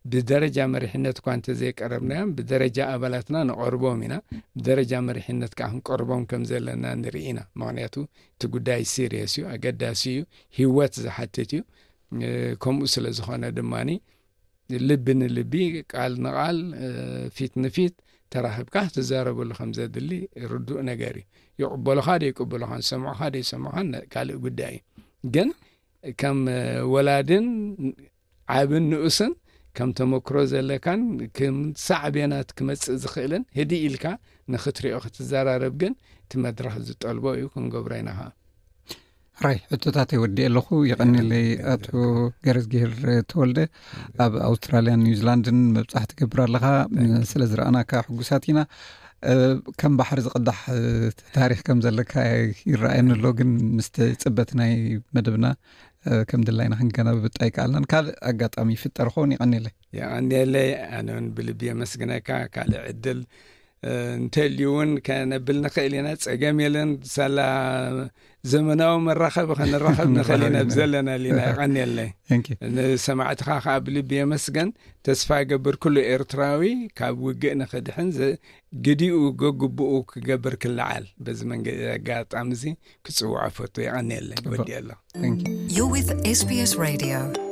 ብደረጃ መሪሕነት እኳ እንተዘይቀረብናዮም፣ ብደረጃ ኣባላትና ንቐርቦም ኢና። ብደረጃ መሪሕነት ከዓ ክንቀርቦም ከም ዘለና ንርኢ ኢና። ምክንያቱ እቲ ጉዳይ ሲሪየስ እዩ፣ ኣገዳሲ እዩ፣ ህይወት ዝሓትት እዩ። ከምኡ ስለ ዝኾነ ድማ ልቢ ንልቢ፣ ቃል ንቃል፣ ፊት ንፊት ተራኺብካ ክትዛረበሉ ከም ዘድሊ ርዱእ ነገር እዩ። ይቕበሉኻ ዶ ይቅበሉኻን፣ ሰምዑኻ ዶ ይሰምዑኻን ካልእ ጉዳይ እዩ። ግን ከም ወላድን ዓብን ንኡስን ከም ተመክሮ ዘለካን ከም ሳዕቤናት ክመጽእ ዝኽእልን ህድእ ኢልካ ንኽትሪኦ ክትዘራረብ ግን እቲ መድረኽ ዝጠልቦ እዩ፣ ክንገብሮ ኢና ኸዓ። ራይ ሕቶታት ወዲ ኣለኹ። የቐኒለይ ኣቶ ገረዝጊሄር ተወልደ፣ ኣብ ኣውስትራልያን ኒውዚላንድን መብጻሕ ትገብር ኣለኻ። ስለ ዝረኣናካ ሕጉሳት ኢና። ከም ባሕሪ ዝቕዳሕ ታሪኽ ከም ዘለካ ይረኣየኒ ኣሎ፣ ግን ምስ ጽበት ናይ መደብና ከም ድላይና ክንከናብብጥ ኣይከኣልናን። ካልእ ኣጋጣሚ ይፍጠር ኸውን። የቐኒለይ። የቐኒለይ። ኣነ እውን ብልቢ የመስግነካ። ካልእ ዕድል እንተልዩ እውን ከነብል ንኽእል ኢና። ጸገም የለን። ሳላ ዘመናዊ መራኸቢ ከንራኸብ ንኽእል ኢና። ብዘለና ሊና። የቐኒለይ። ንሰማዕትኻ ከዓ ብልቢ የመስገን። ተስፋ ይገብር ኩሉ ኤርትራዊ ካብ ውግእ ንኽድሕን ግዲኡ ገግብኡ ክገብር ክለዓል በዚ መንገዲ ኣጋጣሚ እዚ ክጽውዖ ፈቱ። የቐኒለይ። ወዲ ኣሎ። You're with SBS Radio.